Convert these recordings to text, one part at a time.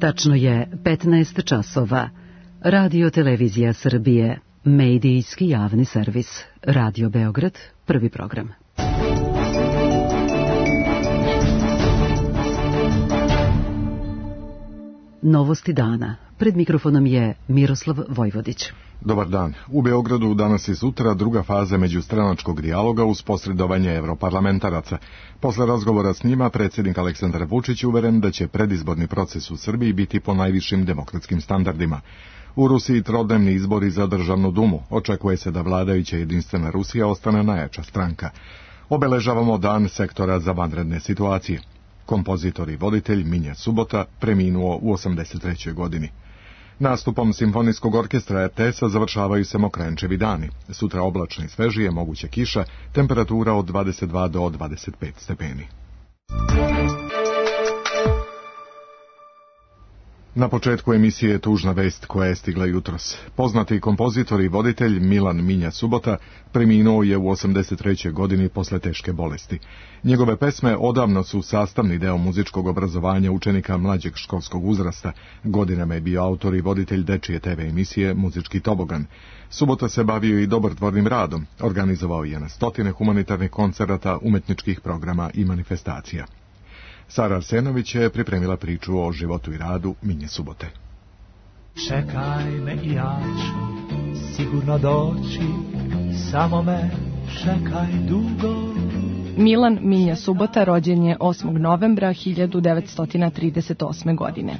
Tačno je 15 časova. Radio Televizija Srbije, medijski javni servis. Radio Beograd, prvi program. Novosti dana. Pred mikrofonom je Miroslav Vojvodić. Dobar dan. U Beogradu danas i sutra druga faza međustranačkog dijaloga uz posredovanje europarlamentaraca. Posle razgovora s njima, predsjednik Aleksandar Vučić uveren da će predizborni proces u Srbiji biti po najvišim demokratskim standardima. U Rusiji trodnevni izbori za državnu dumu. Očekuje se da vladajuća Jedinstvena Rusija ostane najjača stranka. Obeležavamo dan sektora za vanredne situacije. Kompozitor i voditelj Minja Subota preminuo u 83. godini. Nastupom Simfonijskog orkestra RTS-a završavaju se Mokranjčevi dani. Sutra oblačno i svežije, moguća kiša, temperatura od 22 do 25 stepeni. Na početku emisije tužna vest koja je stigla jutros. Poznati kompozitor i voditelj Milan Minja Subota preminuo je u 83. godini posle teške bolesti. Njegove pesme odavno su sastavni deo muzičkog obrazovanja učenika mlađeg školskog uzrasta. Godinama je bio autor i voditelj dečije TV emisije Muzički tobogan. Subota se bavio i dobrotvornim radom. Organizovao je na stotine humanitarnih koncerata, umetničkih programa i manifestacija. Sara Arsenović je pripremila priču o životu i radu Minje Subote. Čekaj me i ja ću sigurno doći, samo me čekaj dugo. Milan Minja Subota rođen je 8. novembra 1938. godine.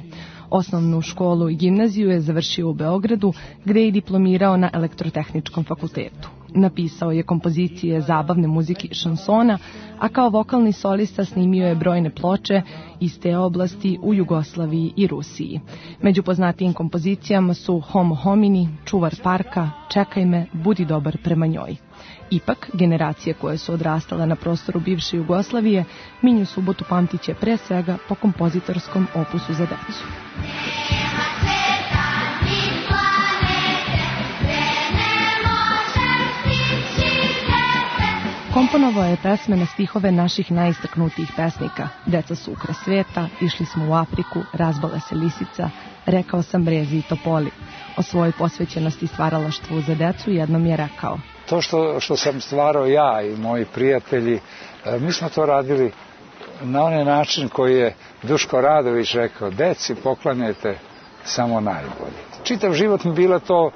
Osnovnu školu i gimnaziju je završio u Beogradu, gde je diplomirao na Elektrotehničkom fakultetu. Napisao je kompozicije zabavne muzike i šansona, a kao vokalni solista snimio je brojne ploče iz te oblasti u Jugoslaviji i Rusiji. Među poznatijim kompozicijama su Homo homini, Čuvar parka, Čekaj me, Budi dobar prema njoj. Ipak, generacije koje su odrastale na prostoru bivše Jugoslavije, Minju Subotu pamtiće pre svega po kompozitorskom opusu za decu. Komponovao je pesme na stihove naših najistaknutijih pesnika. Deca su ukras sveta, išli smo u Afriku, razbala se lisica, rekao sam brezi i topoli. O svojoj posvećenosti stvaralaštvu za decu jednom je rekao: to što sam stvarao ja i moji prijatelji, mi smo to radili na onaj način koji je Duško Radović rekao: deci poklanjajte samo najbolje. Čitav život mi bila to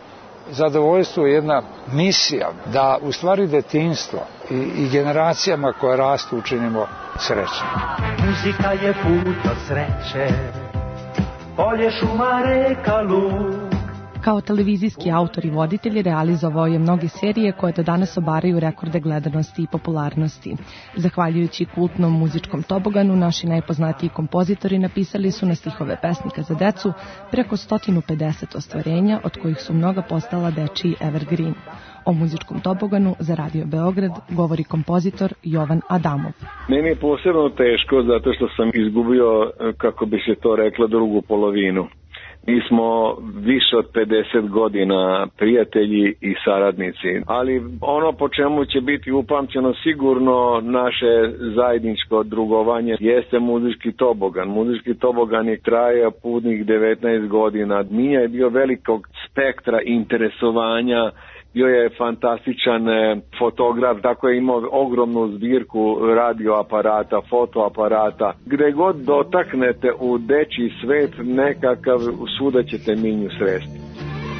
zadovoljstvo, jedna misija da u stvari detinjstvo i generacijama koje rastu učinimo srećnim. Muzika je put od sreće, polje, šuma, reka, luk. Kao televizijski autor i voditelj realizovao je mnoge serije koje do danas obaraju rekorde gledanosti i popularnosti. Zahvaljujući kultnom muzičkom toboganu, naši najpoznatiji kompozitori napisali su na stihove pesnika za decu preko 150 ostvarenja, od kojih su mnoga postala dečiji evergreen. O muzičkom toboganu za Radio Beograd govori kompozitor Jovan Adamov. Meni je posebno teško zato što sam izgubio, kako bi se to reklo, drugu polovinu. Mi smo više od 50 godina prijatelji i saradnici, ali ono po čemu će biti upamćeno sigurno naše zajedničko drugovanje jeste muzički tobogan. Muzički tobogan je trajao punih 19 godina. Minja je bio velikog spektra interesovanja, bio je fantastičan fotograf, tako je imao ogromnu zbirku radioaparata, fotoaparata. Gde god dotaknete u dečji svet nekakav, svuda ćete Minju sresti.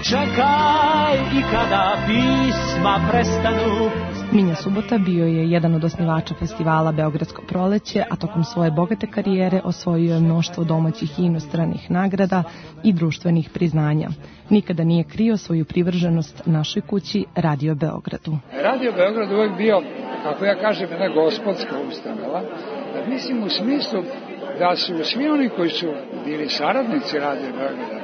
Čekaj i kada pisma prestanu. Minja Subota bio je jedan od osnivača festivala Beogradsko proleće, a tokom svoje bogate karijere osvojio je mnoštvo domaćih i inostranih nagrada i društvenih priznanja. Nikada nije krio svoju privrženost našoj kući Radio Beogradu. Radio Beograd uvijek bio, kako ja kažem, jedna gospodska ustanova. Mislim u smislu da su svi oni koji su bili saradnici Radio Beograda,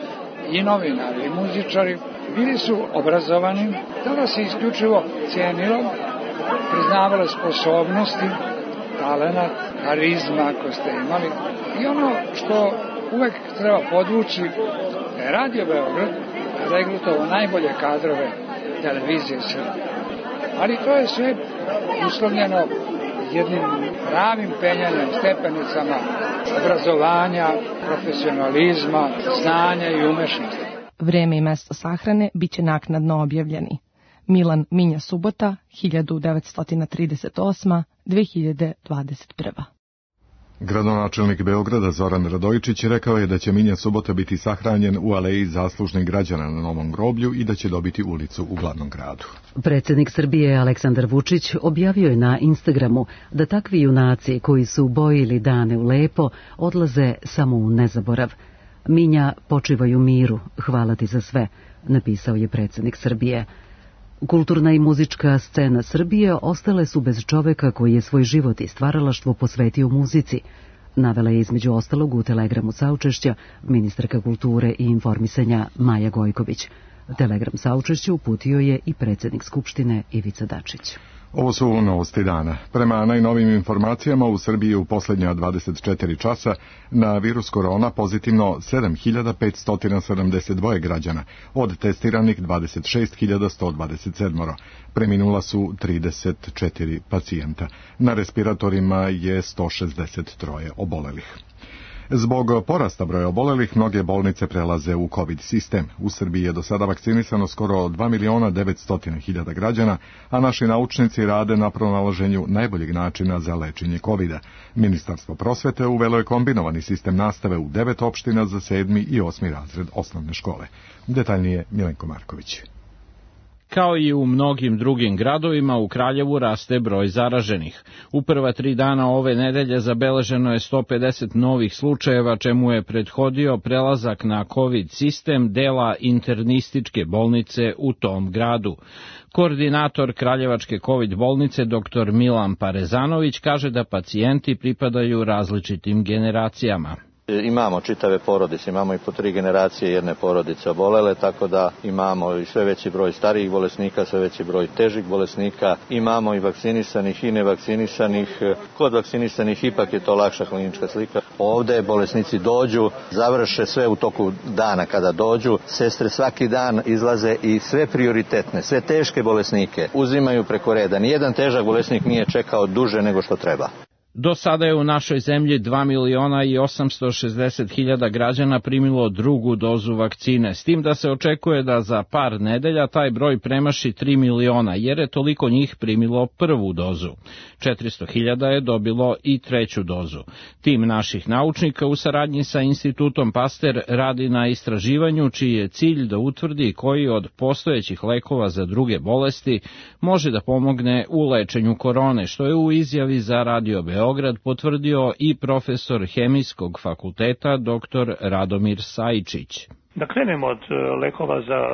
i novinari, i muzičari, bili su obrazovani, tada se isključivo cijenilo, priznavale sposobnosti, talenat, karizma ako ste imali. I ono što uvek treba podvući, da je Radio Beograd regrutovao najbolje kadrove televizije Srbije. Ali to je sve uslovljeno jednim pravim penjanjem, stepenicama obrazovanja, profesionalizma, znanja i umešnosti. Vreme i mesto sahrane biće naknadno objavljeni. Milan Minja Subota, 1938-2021. Gradonačelnik Beograda Zoran Radojičić rekao je da će Minja Subota biti sahranjen u aleji zaslužnih građana na Novom groblju i da će dobiti ulicu u glavnom gradu. Predsjednik Srbije Aleksandar Vučić objavio je na Instagramu da takvi junaci koji su bojili dane u lepo odlaze samo u nezaborav. Minja, počivaj u miru, hvala ti za sve, napisao je predsjednik Srbije. Kulturna i muzička scena Srbije ostale su bez čoveka koji je svoj život i stvaralaštvo posvetio muzici, navela je između ostalog u telegramu saučešća ministarka kulture i informisanja Maja Gojković. Telegram saučešća uputio je i predsjednik Skupštine Ivica Dačić. Ovo su novosti dana. Prema najnovijim informacijama u Srbiji u posljednja 24 časa na virus korona pozitivno 7.572 građana, od testiranih 26.127. Preminula su 34 pacijenta. Na respiratorima je 163 obolelih. Zbog porasta broja obolelih, mnoge bolnice prelaze u COVID sistem. U Srbiji je do sada vakcinisano skoro 2.900.000 građana, a naši naučnici rade na pronalaženju najboljeg načina za lečenje COVID-a. Ministarstvo prosvete uvelo je kombinovani sistem nastave u 9 opština za 7. i 8. razred osnovne škole. Detaljnije Milenko Marković. Kao i u mnogim drugim gradovima, u Kraljevu raste broj zaraženih. U prva 3 dana ove nedelje zabeleženo je 150 novih slučajeva, čemu je prethodio prelazak na COVID sistem dela internističke bolnice u tom gradu. Koordinator Kraljevačke COVID bolnice dr. Milan Parezanović kaže da pacijenti pripadaju različitim generacijama. Imamo čitave porodice, imamo i po 3 generacije jedne porodice obolele, tako da imamo i sve veći broj starijih bolesnika, sve veći broj težih bolesnika, imamo i vakcinisanih i nevakcinisanih. Kod vakcinisanih ipak je to lakša klinička slika. Ovde bolesnici dođu, završe sve u toku dana kada dođu. Sestre svaki dan izlaze i sve prioritetne, sve teške bolesnike uzimaju preko reda. Nijedan težak bolesnik nije čekao duže nego što treba. Do sada je u našoj zemlji 2.860.000 građana primilo drugu dozu vakcine, s tim da se očekuje da za par nedelja taj broj premaši 3 miliona, jer je toliko njih primilo prvu dozu. 400.000 je dobilo i treću dozu. Tim naših naučnika u saradnji sa Institutom Pasteur radi na istraživanju čiji je cilj da utvrdi koji od postojećih lekova za druge bolesti može da pomogne u lečenju korone, što je u izjavi za Radio Beograd potvrdio i profesor Hemijskog fakulteta dr. Radomir Sajičić. Da krenemo od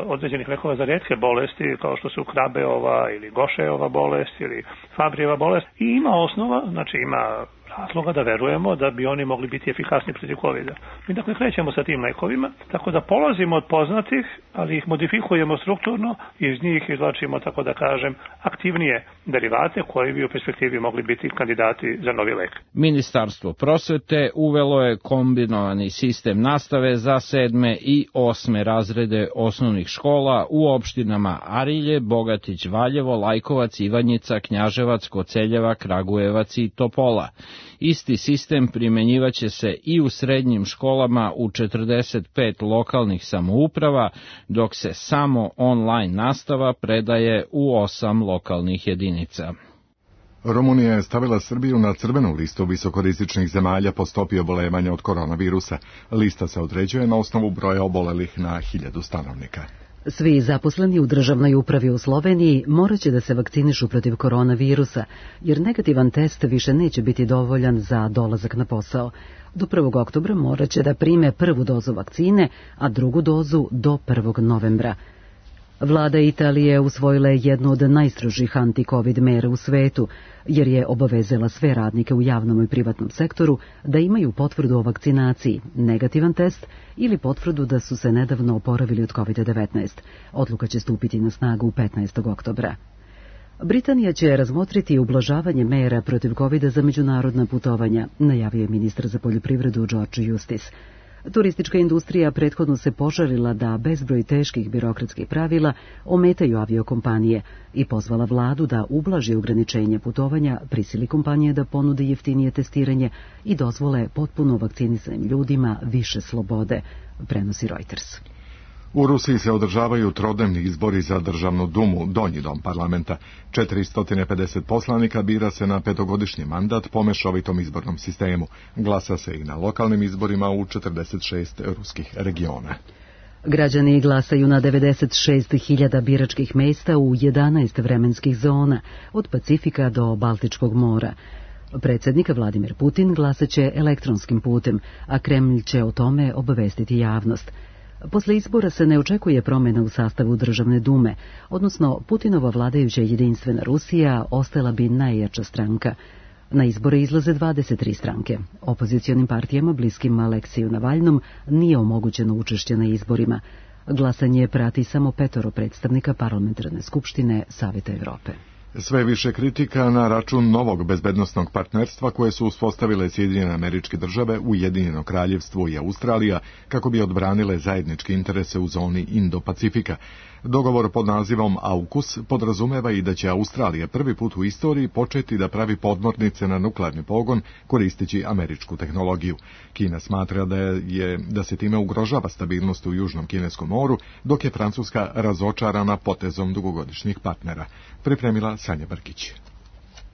određenih lekova za rijetke bolesti, kao što su Krabeova ili Gošejova bolest ili Fabrijeva bolest. I ima osnova, znači ima razloga da verujemo da bi oni mogli biti efikasni protiv COVID-a. Mi dakle krećemo sa tim lekovima, tako da polazimo od poznatih, ali ih modifikujemo strukturno i iz njih izvlačimo, tako da kažem, aktivnije derivate koji bi u perspektivi mogli biti kandidati za novi lek. Ministarstvo prosvete uvelo je kombinovani sistem nastave za 7. i 8. razrede osnovnih škola u opštinama Arilje, Bogatić, Valjevo, Lajkovac, Ivanjica, Knjaževac, Koceljeva, Kragujevac i Topola. Isti sistem primenjivaće se i u srednjim školama u 45 lokalnih samouprava, dok se samo online nastava predaje u 8 lokalnih jedinica. Rumunija je stavila Srbiju na crvenu listu visokorizičnih zemalja po stopi oboljevanja od koronavirusa. Lista se određuje na osnovu broja obolelih na 1000 stanovnika. Svi zaposleni u državnoj upravi u Sloveniji morat će da se vakcinišu protiv koronavirusa, jer negativan test više neće biti dovoljan za dolazak na posao. Do 1. oktobra morat će da prime prvu dozu vakcine, a drugu dozu do 1. novembra. Vlada Italije usvojila je jednu od najstrožih anti-covid mera u svetu, jer je obavezala sve radnike u javnom i privatnom sektoru da imaju potvrdu o vakcinaciji, negativan test ili potvrdu da su se nedavno oporavili od COVID-19. Odluka će stupiti na snagu 15. oktobra. Britanija će razmotriti ublažavanje mera protiv COVID-a za međunarodna putovanja, najavio je ministar za poljoprivredu George Eustice. Turistička industrija prethodno se požalila da bezbroj teških birokratskih pravila ometaju aviokompanije i pozvala vladu da ublaži ograničenje putovanja, prisili kompanije da ponude jeftinije testiranje i dozvole potpuno vakcinisanim ljudima više slobode, prenosi Reuters. U Rusiji se održavaju trodnevni izbori za državnu dumu, donji dom parlamenta. 450 poslanika bira se na petogodišnji mandat po mešovitom izbornom sistemu. Glasa se i na lokalnim izborima u 46 ruskih regiona. Građani glasaju na 96.000 biračkih mesta u 11 vremenskih zona, od Pacifika do Baltičkog mora. Predsjednik Vladimir Putin glasaće elektronskim putem, a Kremlj će o tome obavestiti javnost. Posle izbora se ne očekuje promjena u sastavu državne dume, odnosno Putinova vladajuća Jedinstvena Rusija ostala bi najjača stranka. Na izbore izlaze 23 stranke. Opozicionim partijama bliskim Aleksiju Navalnom nije omogućeno učešće na izborima. Glasanje prati samo 5 predstavnika parlamentarne skupštine Saveta Evrope. Sve više kritika na račun novog bezbednosnog partnerstva koje su uspostavile Sjedinjene Američke Države, Ujedinjeno Kraljevstvo i Australija kako bi odbranile zajedničke interese u zoni Indo-Pacifika. Dogovor pod nazivom AUKUS podrazumeva i da će Australija prvi put u istoriji početi da pravi podmornice na nuklearni pogon koristeći američku tehnologiju. Kina smatra da se time ugrožava stabilnost u Južnom Kineskom moru, dok je Francuska razočarana potezom dugogodišnjih partnera. Pripremila Sanja Brkić.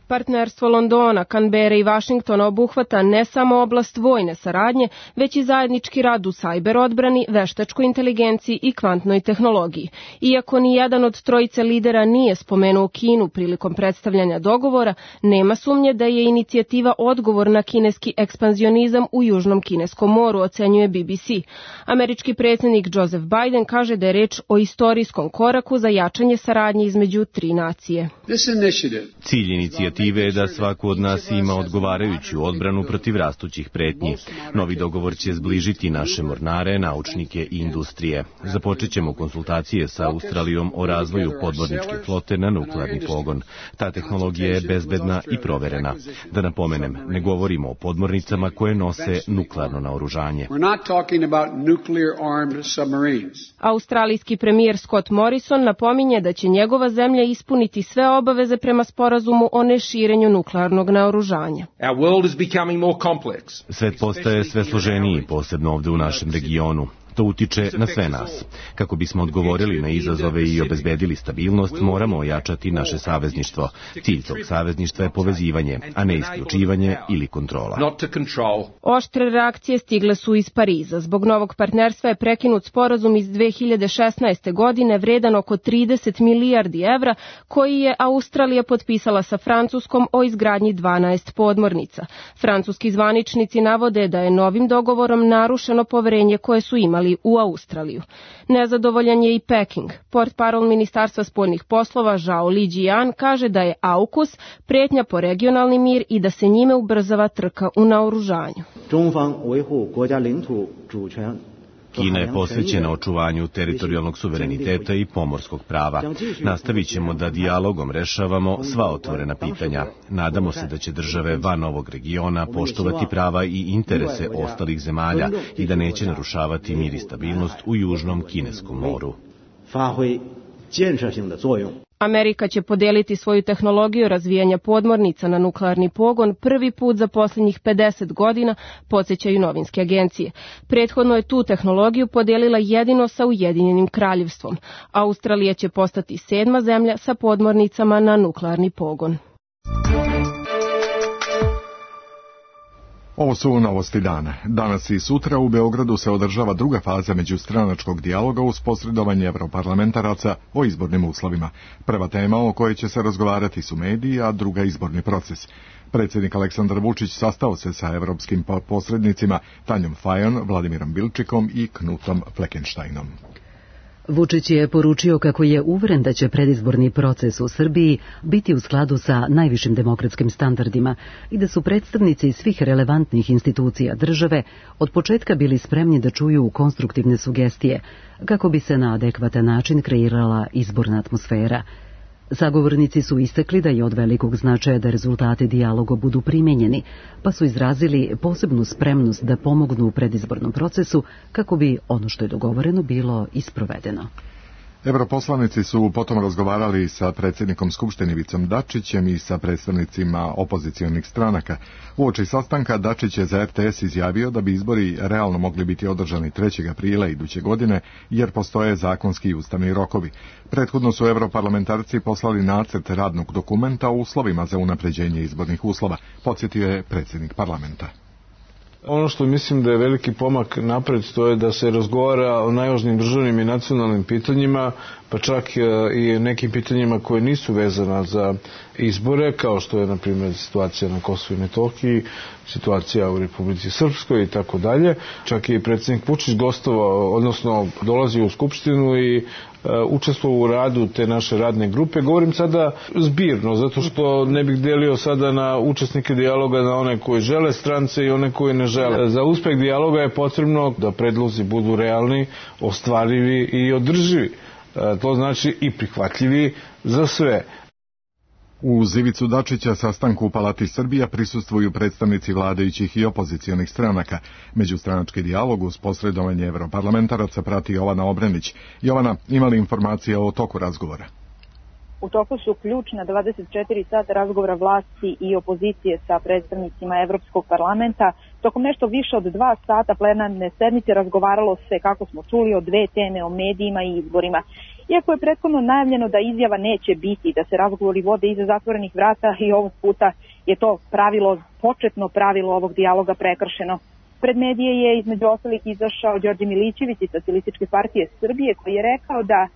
Partnerstvo Londona, Kanbere i Vašingtona obuhvata ne samo oblast vojne saradnje, već i zajednički rad u sajber odbrani, veštačkoj inteligenciji i kvantnoj tehnologiji. Iako ni jedan od trojice lidera nije spomenuo Kinu prilikom predstavljanja dogovora, nema sumnje da je inicijativa odgovor na kineski ekspanzionizam u Južnom Kineskom moru, ocenjuje BBC. Američki predsjednik Joseph Biden kaže da je reč o istorijskom koraku za jačanje saradnje između tri nacije. Cilj inicijative je da svako od nas ima odgovarajuću odbranu protiv rastućih pretnji. Novi dogovor će zbližiti naše mornare, naučnike i industrije. Započet ćemo konsultacije sa Australijom o razvoju podmorničke flote na nuklearni pogon. Ta tehnologija je bezbedna i proverena. Da napomenem, ne govorimo o podmornicama koje nose nuklearno naoružanje. Australijski premijer Scott Morrison napominje da će njegova zemlja ispuniti sve obaveze prema sporazumu o neširenju nuklearnog naoružanja. Svet postaje sve složeniji, posebno ovde u našem regionu. To utiče na sve nas. Kako bismo odgovorili na izazove i obezbedili stabilnost, moramo ojačati naše savezništvo. Cilj tog savezništva je povezivanje, a ne isključivanje ili kontrola. Oštre reakcije stigle su iz Pariza. Zbog novog partnerstva je prekinut sporazum iz 2016. godine vredan oko 30 milijardi evra, koji je Australija potpisala sa Francuskom o izgradnji 12 podmornica. Francuski zvaničnici navode da je novim dogovorom narušeno poverenje koje su imali u Australiju. Nezadovoljan je i Peking. Portparol Ministarstva spoljnih poslova Zhao Lijian kaže da je AUKUS prijetnja po regionalni mir i da se njime ubrzava trka u naoružanju. Kina je posvećena očuvanju teritorijalnog suvereniteta i pomorskog prava. Nastavit ćemo da dijalogom rešavamo sva otvorena pitanja. Nadamo se da će države van ovog regiona poštovati prava i interese ostalih zemalja i da neće narušavati mir i stabilnost u Južnom Kineskom moru. Amerika će podeliti svoju tehnologiju razvijanja podmornica na nuklearni pogon prvi put za posljednjih 50 godina, podsjećaju novinske agencije. Prethodno je tu tehnologiju podelila jedino sa Ujedinjenim Kraljevstvom. Australija će postati 7. zemlja sa podmornicama na nuklearni pogon. Ovo su novosti dana. Danas i sutra u Beogradu se održava druga faza međustranačkog dijaloga uz posredovanje evroparlamentaraca o izbornim uslovima. Prva tema o kojoj će se razgovarati su mediji, a druga izborni proces. Predsjednik Aleksandar Vučić sastao se sa evropskim posrednicima Tanjom Fajon, Vladimirom Bilčikom i Knutom Fleckensteinom. Vučić je poručio kako je uveren da će predizborni proces u Srbiji biti u skladu sa najvišim demokratskim standardima i da su predstavnici svih relevantnih institucija države od početka bili spremni da čuju konstruktivne sugestije kako bi se na adekvatan način kreirala izborna atmosfera. Sagovornici su istakli da je od velikog značaja da rezultate dijaloga budu primenjeni, pa su izrazili posebnu spremnost da pomognu u predizbornom procesu kako bi ono što je dogovoreno bilo isprovedeno. Europoslanici su potom razgovarali sa predsjednikom Skupštine Ivicom Dačićem i sa predstavnicima opozicionih stranaka. Uoči sastanka Dačić je za RTS izjavio da bi izbori realno mogli biti održani 3. aprila iduće godine, jer postoje zakonski i ustavni rokovi. Prethodno su europarlamentarci poslali nacrt radnog dokumenta o uslovima za unapređenje izbornih uslova, podsjetio je predsjednik parlamenta. Ono što mislim da je veliki pomak napred, to je da se razgovara o najvažnijim državnim i nacionalnim pitanjima, pa čak i nekim pitanjima koje nisu vezana za izbore, kao što je, na primjer, situacija na Kosovu i Metohiji, situacija u Republici Srpskoj i tako dalje. Čak i predsjednik Vučić gostovao, odnosno dolazio u Skupštinu i učestvovao u radu te naše radne grupe. Govorim sada zbirno, zato što ne bih delio sada na učesnike dijaloga na one koji žele strance i one koji ne žele. Za uspeh dijaloga je potrebno da predlozi budu realni, ostvarivi i održivi. To znači i prihvatljivi za sve. Uz Ivicu Dačića sastanku u Palati Srbija prisustvuju predstavnici vladajućih i opozicionih stranaka. Međustranački dijalog uz posredovanje europarlamentaraca prati Jovana Obrenić. Jovana, ima li informacije o toku razgovora? U toku su ključna 24 sata razgovora vlasti i opozicije sa predstavnicima Evropskog parlamenta. Tokom nešto više od 2 sata plenarne sednice razgovaralo se, kako smo čuli, o 2 teme, o medijima i izborima. Iako je prethodno najavljeno da izjava neće biti, da se razgovori vode iza zatvorenih vrata, i ovog puta je to početno pravilo ovog dijaloga prekršeno. Pred medije je između ostalih izašao Đorđe Milićević iz Socijalističke partije Srbije, koji je rekao da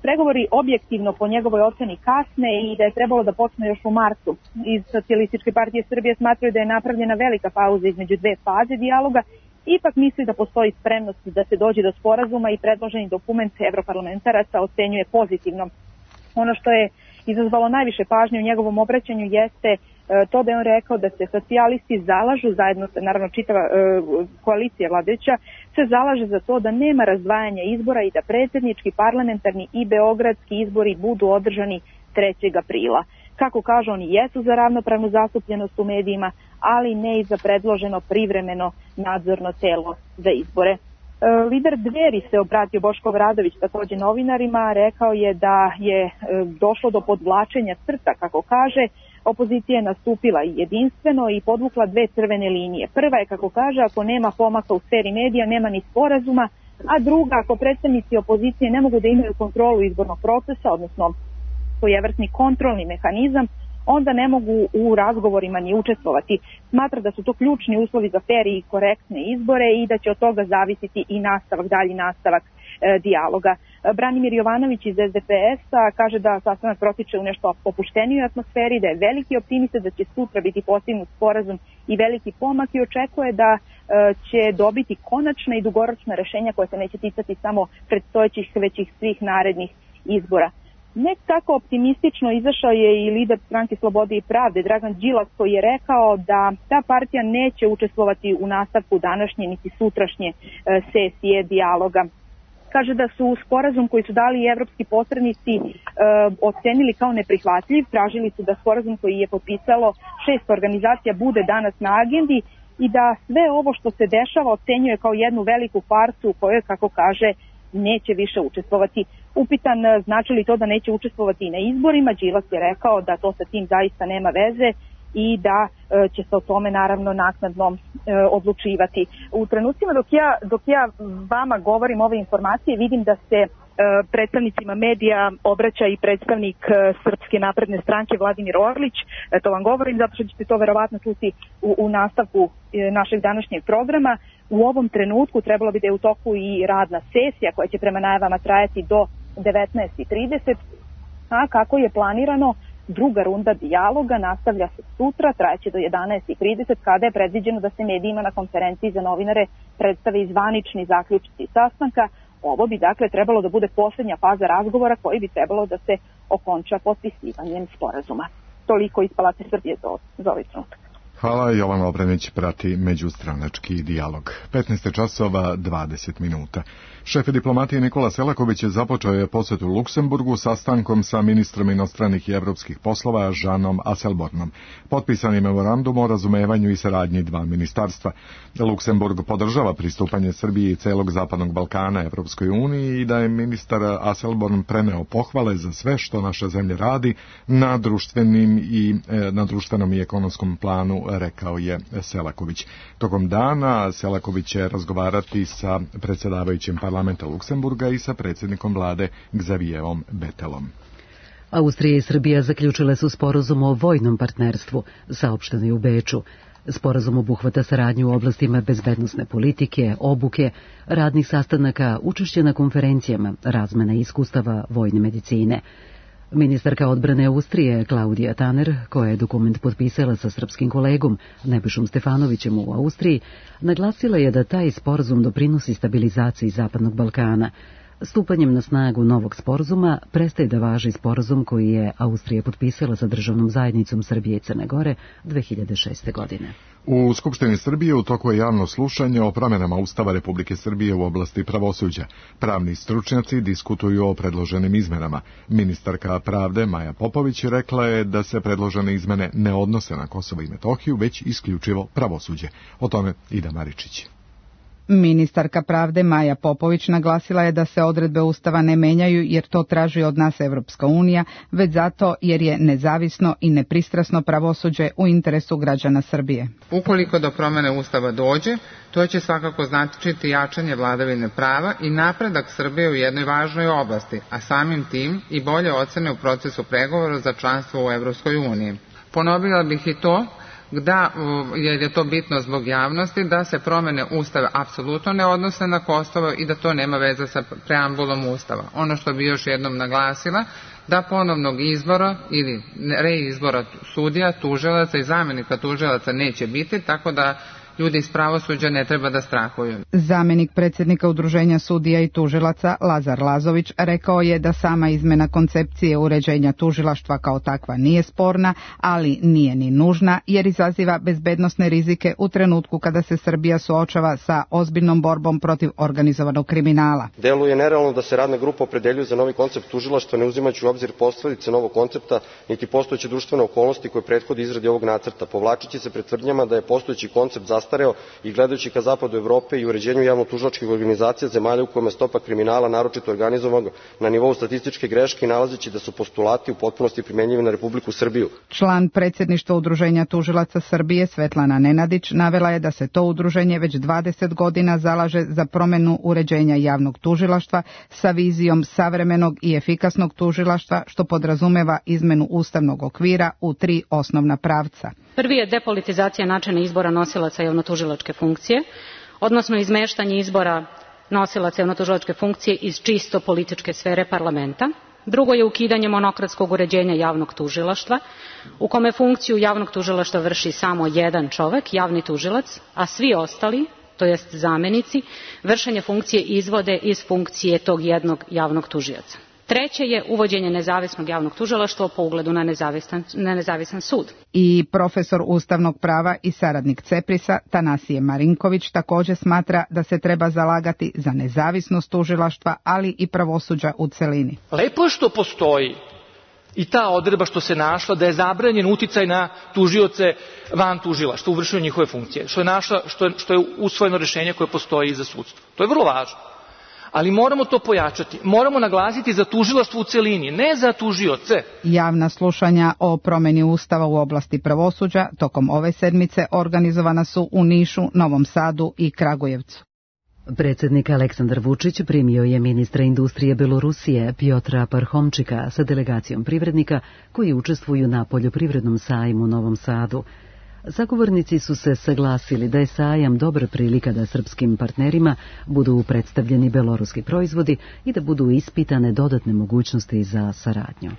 pregovori objektivno po njegovoj oceni kasne i da je trebalo da počne još u martu. Iz Socijalističke partije Srbije smatraju da je napravljena velika pauza između 2 faze dijaloga, ipak misli da postoji spremnost da se dođe do sporazuma i predloženi dokument evroparlamentaraca ocenjuje pozitivno. Ono što je izazvalo najviše pažnje u njegovom obraćanju jeste to da je on rekao da se socijalisti zalažu, zajedno naravno čitava koalicija vladajuća, se zalaže za to da nema razdvajanja izbora i da predsjednički, parlamentarni i beogradski izbori budu održani 3. aprila. Kako kažu, oni jesu za ravnopravnu zastupljenost u medijima, ali ne i za predloženo privremeno nadzorno telo za izbore. Lider Dveri se obratio, Boško Obradović, takođe novinarima, rekao je da je došlo do podvlačenja crta, kako kaže. Opozicija je nastupila jedinstveno i podvukla 2 crvene linije. Prva je, kako kaže, ako nema pomaka u sferi medija, nema ni sporazuma, a druga, ako predstavnici opozicije ne mogu da imaju kontrolu izbornog procesa, odnosno svojevrsni kontrolni mehanizam, onda ne mogu u razgovorima ni učestvovati. Smatra da su to ključni uslovi za fer i korektne izbore i da će od toga zavisiti i dalji nastavak dijaloga. Branimir Jovanović iz SDP-a kaže da sastanak protiče u nešto opuštenijoj atmosferi, da je veliki optimista da će sutra biti postignut sporazum i veliki pomak i očekuje da će dobiti konačna i dugoročna rešenja koja se neće ticati samo predstojećih, već i svih narednih izbora. Ne tako optimistično izašao je i lider Stranke Slobode i pravde Dragan Đilas, koji je rekao da ta partija neće učestvovati u nastavku današnje niti sutrašnje sesije dijaloga. Kaže da su sporazum koji su dali evropski posrednici ocenili kao neprihvatljiv, tražili su da sporazum koji je potpisalo 6 organizacija bude danas na agendi i da sve ovo što se dešava ocenjuje kao jednu veliku farsu u kojoj, kako kaže, neće više učestvovati. Upitan znači li to da neće učestvovati na izborima, Đilas je rekao da to sa tim zaista nema veze i da će se o tome naravno naknadno odlučivati. U trenucima dok ja vama govorim ove informacije, vidim da se predstavnicima medija obraća i predstavnik Srpske napredne stranke Vladimir Orlić. To vam govorim zato što ćete to verovatno čuti u nastavku našeg današnjeg programa. U ovom trenutku trebalo bi da je u toku i radna sesija koja će prema najavama trajati do 19:30, a kako je planirano, druga runda dijaloga nastavlja se sutra, trajeće do 11:30, kada je predviđeno da se medijima na konferenciji za novinare predstave zvanični zaključci sastanka. Ovo bi dakle trebalo da bude posljednja faza razgovora koji bi trebalo da se okonča potpisivanjem sporazuma. Toliko iz Palate Srbije za ovaj trenutak. Hvala, Jovan Obrenić prati međustranački dijalog. 15 časova 20 minuta. Šef diplomatije Nikola Selaković započeo je posjetu Luksemburgu sastankom sa ministrom inostranih i evropskih poslova Žanom Asselbornom. Potpisan je memorandum o razumevanju i saradnji dva ministarstva. Luksemburg podržava pristupanje Srbije i celog Zapadnog Balkana Evropskoj uniji i da je ministar Asselborn preneo pohvale za sve što naša zemlja radi na društvenom i ekonomskom planu, rekao je Selaković. Tokom dana Selaković će razgovarati sa predsjedavajućim parlamenta Luksemburga i sa predsjednikom vlade Xavierom Bettelom. Austrija i Srbija zaključile su sporazum o vojnom partnerstvu, saopšteno je u Beču. Sporazum obuhvata saradnju u oblastima bezbednosne politike, obuke, radnih sastanaka, učešće na konferencijama, razmena iskustava vojne medicine. Ministarka odbrane Austrije Klaudija Tanner, koja je dokument potpisala sa srpskim kolegom Nebojšom Stefanovićem u Austriji, naglasila je da taj sporazum doprinosi stabilizaciji Zapadnog Balkana. Stupanjem na snagu novog sporazuma prestaje da važi sporazum koji je Austrija potpisala sa državnom zajednicom Srbije i Crne Gore 2006. godine. U Skupštini Srbije u toku je javno slušanje o promjenama Ustava Republike Srbije u oblasti pravosuđa. Pravni stručnjaci diskutuju o predloženim izmenama. Ministarka pravde Maja Popović rekla je da se predložene izmene ne odnose na Kosovo i Metohiju, već isključivo pravosuđe. O tome Ida Maričić. Ministarka pravde Maja Popović naglasila je da se odredbe Ustava ne menjaju jer to traži od nas Evropska unija, već zato jer je nezavisno i nepristrasno pravosuđe u interesu građana Srbije. Ukoliko do promene Ustava dođe, to će svakako značiti jačanje vladavine prava i napredak Srbije u jednoj važnoj oblasti, a samim tim i bolje ocene u procesu pregovora za članstvo u Evropskoj uniji. Ponovila bih i to da je to bitno zbog javnosti, da se promene Ustava apsolutno ne odnose na Kosovo i da to nema veze sa preambulom Ustava. Ono što bi još jednom naglasila, da ponovnog izbora ili reizbora sudija, tužilaca i zamenika tužilaca neće biti, tako da ljudi iz pravosuđa ne treba da strahuju. Zamenik predsjednika Udruženja sudija i tužilaca Lazar Lazović rekao je da sama izmena koncepcije uređenja tužilaštva kao takva nije sporna, ali nije ni nužna jer izaziva bezbednosne rizike u trenutku kada se Srbija suočava sa ozbiljnom borbom protiv organizovanog kriminala. Deluje nerealno da se radna grupa opredeljuje za novi koncept tužilaštva ne uzimajući u obzir posledice novog koncepta niti postojeće društvene okolnosti koje prethode izradi ovog nacrta, povlačeći se pred tvrdnjama da je postojeći koncept zastareo i gledajući ka zapadu Evrope i uređenju javno-tužilačkih organizacija zemalja u kojima stopa kriminala naročito organizovanog na nivou statističke greške i nalazeći da su postulati u potpunosti primenjivi na Republiku Srbiju. Član predsjedništva Udruženja tužilaca Srbije Svetlana Nenadić navela je da se to udruženje već 20 godina zalaže za promjenu uređenja javnog tužilaštva sa vizijom savremenog i efikasnog tužilaštva što podrazumeva izmenu ustavnog okvira u 3 osnovna pravca. Prvi je depolitizacija načina izbora nosilaca javnotužilačke funkcije, odnosno izmeštanje izbora nosilaca javnotužilačke funkcije iz čisto političke sfere parlamenta. Drugo je ukidanje monokratskog uređenja javnog tužilaštva, u kome funkciju javnog tužilaštva vrši samo jedan čovek, javni tužilac, a svi ostali, to jest zamenici, vršenje funkcije izvode iz funkcije tog jednog javnog tužioca. Treće je uvođenje nezavisnog javnog tužilaštva po ugledu na nezavisan sud. I profesor ustavnog prava i saradnik CEPRIS-a Tanasije Marinković također smatra da se treba zalagati za nezavisnost tužilaštva, ali i pravosuđa u celini. Lepo je što postoji i ta odredba što se našla da je zabranjen uticaj na tužioce van tužilaštva u vršenju njihove funkcije, što je usvojeno rješenje koje postoji i za sudstvo. To je vrlo važno. Ali moramo to pojačati. Moramo naglasiti za tužilaštvo u celini, ne za tužioce. Javna slušanja o promjeni Ustava u oblasti pravosuđa tokom ove sedmice organizovana su u Nišu, Novom Sadu i Kragujevcu. Predsjednik Aleksandar Vučić primio je ministra industrije Belorusije Piotra Parhomčika sa delegacijom privrednika koji učestvuju na poljoprivrednom sajmu u Novom Sadu. Zagovornici su se saglasili da je sajam dobra prilika da srpskim partnerima budu predstavljeni beloruski proizvodi i da budu ispitane dodatne mogućnosti za saradnju.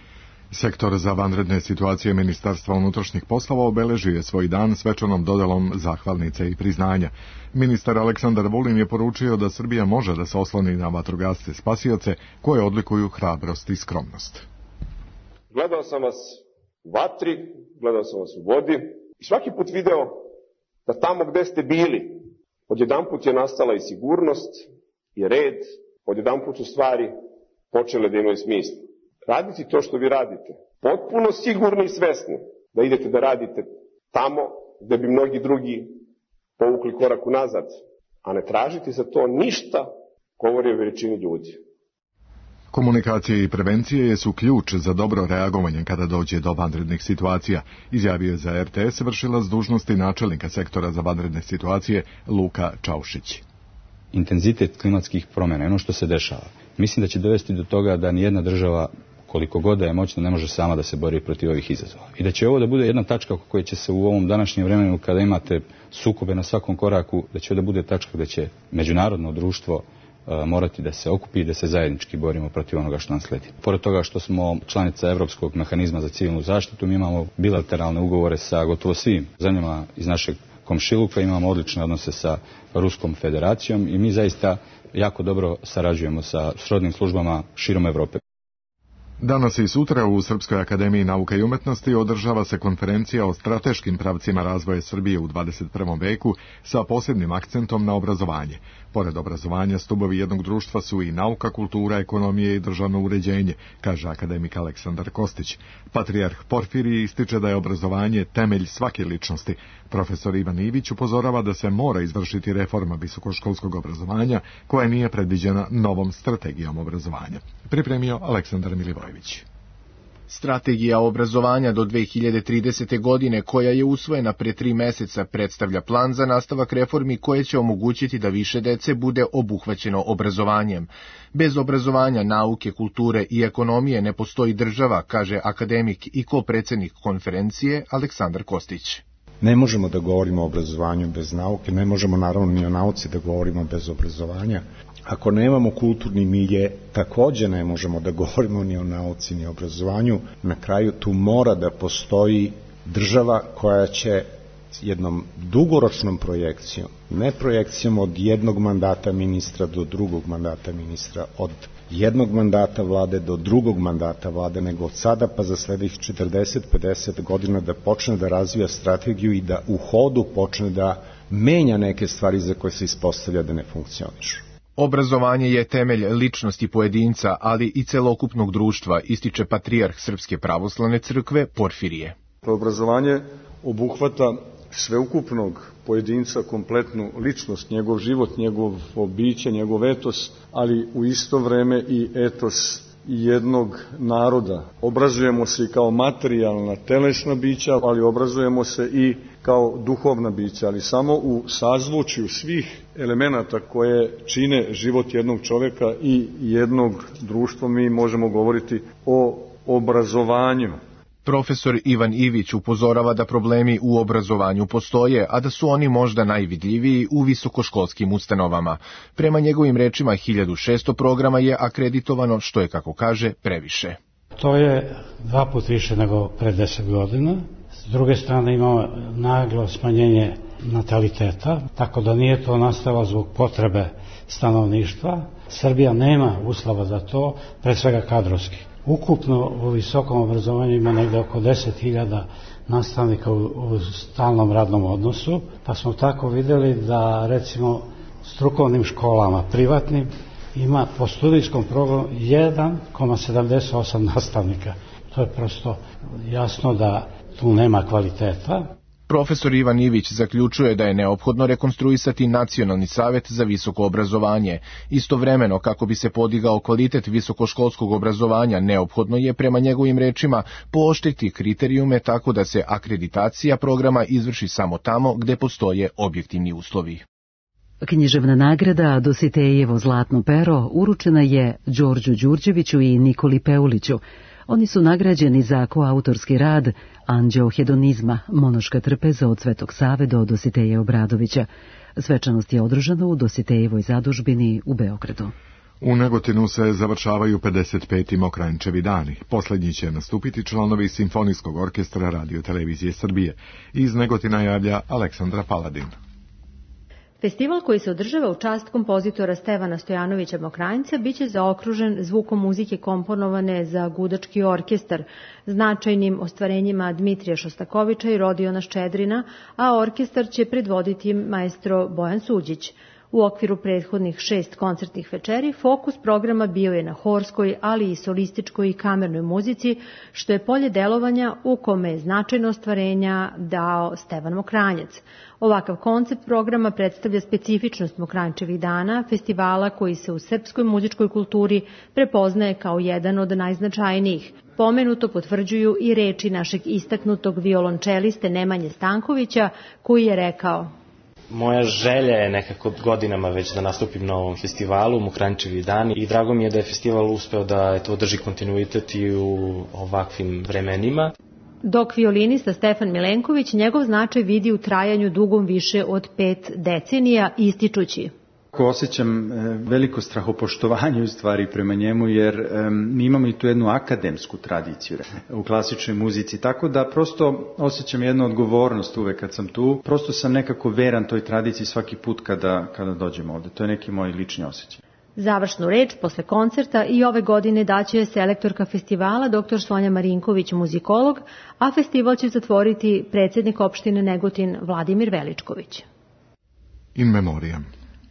Sektor za vanredne situacije Ministarstva unutrašnjih poslova obeležio je svoj dan svečanom dodelom zahvalnice i priznanja. Ministar Aleksandar Vulin je poručio da Srbija može da se osloni na vatrogasce spasioce koje odlikuju hrabrost i skromnost. Gledao sam vas u vatri, gledao sam vas u vodi, I svaki put video da tamo gde ste bili, odjedanput je nastala i sigurnost, i red, odjedanput su stvari počele da imaju smisla. Raditi to što vi radite, potpuno sigurni i svesni da idete da radite tamo gde bi mnogi drugi povukli korak unazad, a ne tražiti za to ništa, govori o veličini ljudi. Komunikacije i prevencije su ključ za dobro reagovanje kada dođe do vanrednih situacija, izjavio je za RTS vršilac dužnosti načelnika sektora za vanredne situacije Luka Čaušić. Intenzitet klimatskih promjena, ono što se dešava, mislim da će dovesti do toga da nijedna država, koliko god da je moćna, ne može sama da se bori protiv ovih izazova. I da će ovo da bude jedna tačka oko koje će se u ovom današnjem vremenu, kada imate sukobe na svakom koraku, da će ovo da bude tačka gde će međunarodno društvo morati da se okupi i da se zajednički borimo protiv onoga što nam sledi. Pored toga što smo članica Evropskog mehanizma za civilnu zaštitu, mi imamo bilateralne ugovore sa gotovo svim zemljama iz našeg komšiluka, imamo odlične odnose sa Ruskom federacijom i mi zaista jako dobro sarađujemo sa srodnim službama širom Evrope. Danas i sutra u Srpskoj akademiji nauka i umetnosti održava se konferencija o strateškim pravcima razvoja Srbije u 21. veku sa posebnim akcentom na obrazovanje. Pored obrazovanja, stubovi jednog društva su i nauka, kultura, ekonomije i državno uređenje, kaže akademik Aleksandar Kostić. Patrijarh Porfirije ističe da je obrazovanje temelj svake ličnosti. Profesor Ivan Ivić upozorava da se mora izvršiti reforma visokoškolskog obrazovanja koja nije predviđena novom strategijom obrazovanja. Pripremio Aleksandar Milivojević. Strategija obrazovanja do 2030. godine, koja je usvojena pre 3 meseca, predstavlja plan za nastavak reformi koje će omogućiti da više dece bude obuhvaćeno obrazovanjem. Bez obrazovanja, nauke, kulture i ekonomije ne postoji država, kaže akademik i kopredsednik konferencije Aleksandar Kostić. Ne možemo da govorimo o obrazovanju bez nauke, ne možemo naravno ni o nauci da govorimo bez obrazovanja. Ako nemamo kulturni milje, takođe ne možemo da govorimo ni o nauci, ni o obrazovanju. Na kraju tu mora da postoji država koja će jednom dugoročnom projekcijom, ne projekcijom od jednog mandata ministra do drugog mandata ministra, od jednog mandata vlade do drugog mandata vlade, nego od sada pa za sledećih 40-50 godina da počne da razvija strategiju i da u hodu počne da menja neke stvari za koje se ispostavlja da ne funkcionišu. Obrazovanje je temelj ličnosti pojedinca, ali i celokupnog društva, ističe patrijarh Srpske pravoslavne crkve Porfirije. Obrazovanje obuhvata sveukupnog pojedinca, kompletnu ličnost, njegov život, njegov biće, njegov etos, ali u isto vreme i etos jednog naroda. Obrazujemo se i kao materijalna, telesna bića, ali obrazujemo se i kao duhovna bića, ali samo u sazvučju svih elemenata koje čine život jednog čoveka i jednog društva mi možemo govoriti o obrazovanju. Profesor Ivan Ivić upozorava da problemi u obrazovanju postoje, a da su oni možda najvidljiviji u visokoškolskim ustanovama. Prema njegovim rečima, 1600 programa je akreditovano, što je, kako kaže, previše. To je 2 puta više nego pre 10 godina. S druge strane imamo naglo smanjenje nataliteta, tako da nije to nastalo zbog potrebe stanovništva. Srbija nema uslova za to, pre svega kadrovski. Ukupno u visokom obrazovanju ima negde oko 10.000 nastavnika u stalnom radnom odnosu, pa smo tako videli da recimo strukovnim školama privatnim ima po studijskom programu 1,78 nastavnika. To je prosto jasno da tu nema kvaliteta. Profesor Ivan Ivić zaključuje da je neophodno rekonstruisati Nacionalni savet za visoko obrazovanje. Istovremeno, kako bi se podigao kvalitet visokoškolskog obrazovanja, neophodno je, prema njegovim rečima, pooštriti kriterijume tako da se akreditacija programa izvrši samo tamo gde postoje objektivni uslovi. Književna nagrada Dositejevo zlatno pero uručena je Đorđu Đurđeviću i Nikoli Peuliću. Oni su nagrađeni za koautorski rad Anđeo hedonizma, monoška trpeza od Svetog Save do Dositeja Obradovića. Svečanost je održana u Dositejevoj zadužbini u Beogradu. U Negotinu se završavaju 55. Mokranjčevi dani. Poslednji će nastupiti članovi Simfonijskog orkestra Radio Televizije Srbije. Iz Negotina javlja Aleksandra Paladin. Festival koji se održava u čast kompozitora Stevana Stojanovića Mokranjca biće zaokružen zvukom muzike komponovane za gudački orkestar, značajnim ostvarenjima Dmitrija Šostakovića i Rodiona Ščedrina, a orkestar će predvoditi maestro Bojan Suđić. U okviru prethodnih 6 koncertnih večeri fokus programa bio je na horskoj, ali i solističkoj i kamernoj muzici, što je polje delovanja u kome je značajno ostvarenja dao Stevan Mokranjac. Ovakav koncept programa predstavlja specifičnost Mokranjčevih dana, festivala koji se u srpskoj muzičkoj kulturi prepoznaje kao jedan od najznačajnijih. Pomenuto potvrđuju i reči našeg istaknutog violončeliste Nemanje Stankovića, koji je rekao: Moja želja je nekako godinama već da nastupim na ovom festivalu, Mokranjčevi dani, i drago mi je da je festival uspeo da održi kontinuitet i u ovakvim vremenima. Dok violinista Stefan Milenković njegov značaj vidi u trajanju dugom više od 5 decenija, ističući: Osjećam veliko strahopoštovanje u stvari prema njemu, jer mi imamo i tu jednu akademsku tradiciju u klasičnoj muzici, tako da prosto osjećam jednu odgovornost uvek kad sam tu. Prosto sam nekako veran toj tradiciji svaki put kada dođem ovde. To je neki moj lični osjećaj. Završnu reč posle koncerta i ove godine daće selektorka festivala dr. Sonja Marinković, muzikolog, a festival će zatvoriti predsjednik opštine Negotin Vladimir Veličković. In memoriam.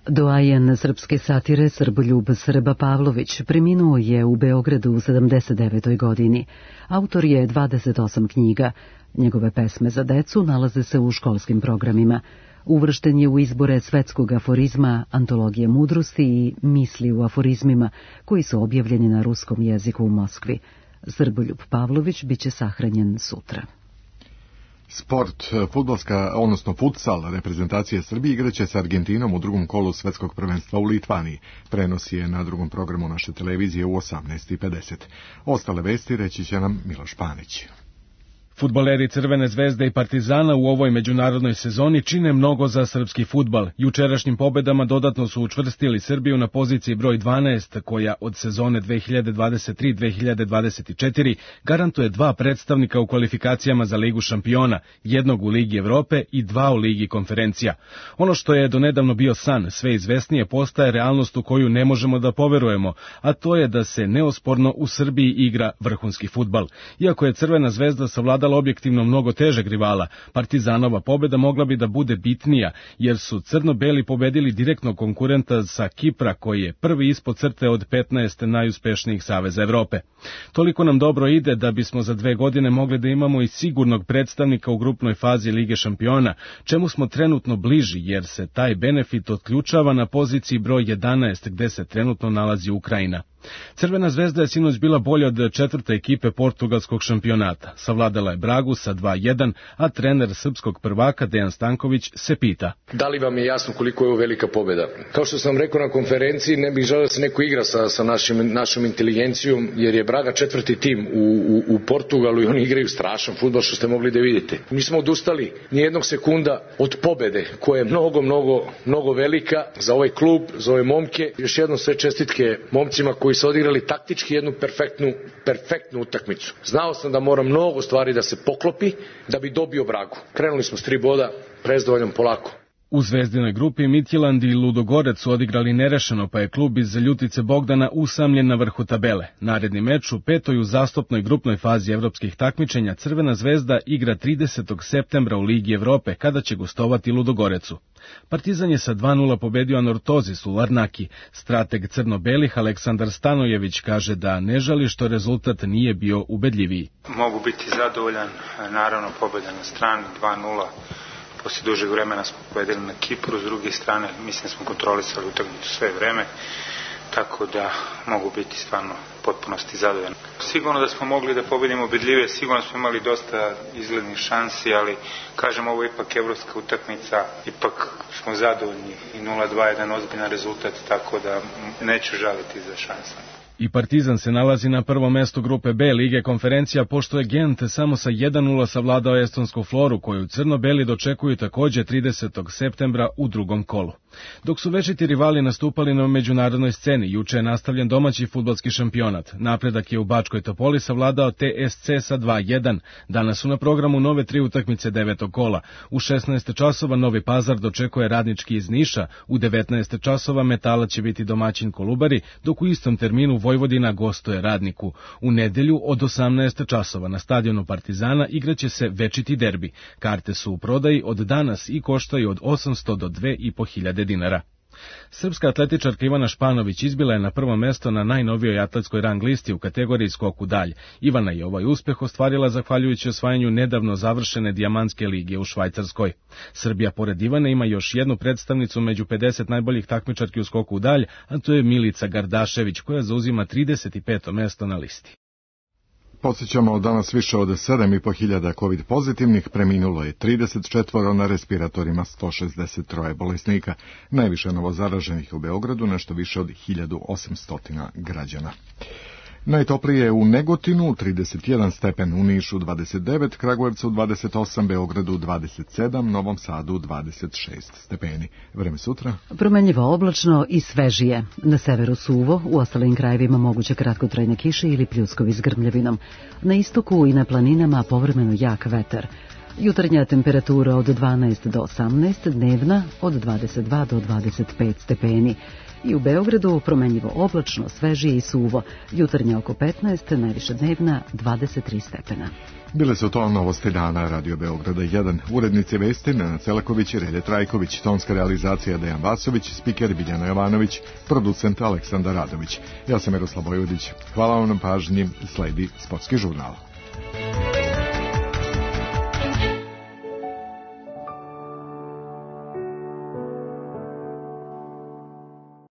Doajen srpske satire Srboljub Srba Pavlović preminuo je u Beogradu u 79. godini. Autor je 28 knjiga. Njegove pesme za decu nalaze se u školskim programima. Uvršten je u izbore svetskog aforizma, antologije mudrosti i misli u aforizmima, koji su objavljeni na ruskom jeziku u Moskvi. Srboljub Pavlović biće sahranjen sutra. Sport, fudbalska, odnosno futsal, reprezentacije Srbije igraće sa Argentinom u drugom kolu svetskog prvenstva u Litvaniji. Prenos je na drugom programu naše televizije u 18:50. Ostale vesti reći će nam Miloš Panić. Fudbaleri Crvene zvezde i Partizana u ovoj međunarodnoj sezoni čine mnogo za srpski fudbal. Jučerašnjim pobedama dodatno su učvrstili Srbiju na poziciji broj 12, koja od sezone 2023-2024 garantuje 2 predstavnika u kvalifikacijama za Ligu šampiona, 1 u Ligi Evrope i 2 u Ligi konferencija. Ono što je donedavno bio san, sve izvesnije postaje realnost u koju ne možemo da poverujemo, a to je da se neosporno u Srbiji igra vrhunski fudbal. Iako je Crvena zvezda savladala objektivno mnogo težeg rivala, Partizanova pobeda mogla bi da bude bitnija, jer su crno-beli pobedili direktnog konkurenta sa Kipra, koji je prvi ispod crte od 15 najuspešnijih saveza Evrope. Toliko nam dobro ide da bismo za 2 godine mogli da imamo i sigurnog predstavnika u grupnoj fazi Lige šampiona, čemu smo trenutno bliži, jer se taj benefit otključava na poziciji broj 11, gde se trenutno nalazi Ukrajina. Crvena zvezda je sinoć bila bolja od 4. ekipe portugalskog šampionata. Savladala je Bragu sa 2:1, a trener srpskog prvaka Dejan Stanković se pita: Da li vam je jasno koliko je ovo velika pobjeda? Kao što sam rekao na konferenciji, ne bih želeo da se neko igra sa našom inteligencijom, jer je Braga 4. tim u Portugalu i oni igraju strašan fudbal, što ste mogli da vidite. Mi smo odustali nijednog sekunda od pobjede, koja je mnogo velika za ovaj klub, za ove momke. Još jednom sve čestitke momcima koji su odigrali taktički jednu perfektnu utakmicu. Znao sam da mora mnogo stvari da se poklopi da bi dobio Bragu. Krenuli smo s 3 boda, prezdovoljom polako. U zvezdinoj grupi Midtjylland i Ludogorec su odigrali nerešeno, pa je klub iz Ljutice Bogdana usamljen na vrhu tabele. Naredni meč u 5. uzastopnoj grupnoj fazi evropskih takmičenja Crvena zvezda igra 30. septembra u Ligi Evrope, kada će gostovati Ludogorecu. Partizan je sa 2:0 pobedio Anortozis u Larnaki. Strateg crno-belih Aleksandar Stanojević kaže da ne žali što rezultat nije bio ubedljiviji. Mogu biti zadovoljan, naravno pobjeda na strani 2:0. Poslije dužeg vremena smo pobedili na Kipru, s druge strane mislim da smo kontrolisali utakmicu sve vreme, tako da mogu biti stvarno potpunosti zadovoljan. Sigurno da smo mogli da pobedimo ubedljivije, sigurno smo imali dosta izglednih šansi, ali kažem, ovo je ipak evropska utakmica, ipak smo zadovoljni i 0:2 je jedan ozbiljan rezultat, tako da neću žaliti za šansama. I Partizan se nalazi na prvom mestu grupe B Lige konferencija, pošto je Gent samo sa 1:0 savladao estonsku Floru, koju crno-beli dočekuju takođe 30. septembra u drugom kolu. Dok su večiti rivali nastupali na međunarodnoj sceni, juče je nastavljen domaći fudbalski šampionat. Napredak je u Bačkoj Topoli savladao TSC sa 2:1. Danas su na programu nove 3 utakmice 9. kola. U 16 časova Novi Pazar dočekuje Radnički iz Niša, u 19 časova Metala će biti domaćin Kolubari, dok u istom terminu Vojvodina gostuje Radniku. U nedelju od 18 časova na stadionu Partizana igraće se večiti derbi. Karte su u prodaji od danas i koštaju od 800 do 2.500 dinara. Srpska atletičarka Ivana Španović izbila je na prvo mesto na najnovijoj atletskoj rang listi u kategoriji skok u dalj. Ivana je ovaj uspeh ostvarila zahvaljujući osvajanju nedavno završene dijamantske lige u Švajcarskoj. Srbija pored Ivane ima još jednu predstavnicu među 50 najboljih takmičarki u skoku u dalj, a to je Milica Gardašević, koja zauzima 35. mesto na listi. Podsjećamo, danas više od 7.500 COVID pozitivnih, preminulo je 34, na respiratorima 163 bolesnika. Najviše novozaraženih u Beogradu, nešto više od 1800 građana. Najtoplije je u Negotinu 31 stepen, u Nišu 29, Kragujevcu 28, Beogradu 27, Novom Sadu 26 stepeni. Vreme sutra? Promenljivo oblačno i svežije. Na severu suvo, u ostalim krajevima moguće kratkotrajne kiše ili pljuskovi s grmljavinom. Na istoku i na planinama povremeno jak vetar. Jutarnja temperatura od 12 do 18, dnevna od 22 do 25 stepeni. I u Beogradu promenljivo oblačno, svežije i suvo. Jutarnja oko 15, najviše dnevna 23 stepena. Bile su to novosti dana Radio Beograda 1. Urednici vesti Nenad Celaković i Relje Trajković, tonska realizacija Dejan Vasović, spiker Biljana Jovanović, producent Aleksandar Radović. Ja sam Miroslav Vojvodić. Hvala vam na pažnji, sledi Sportski žurnal.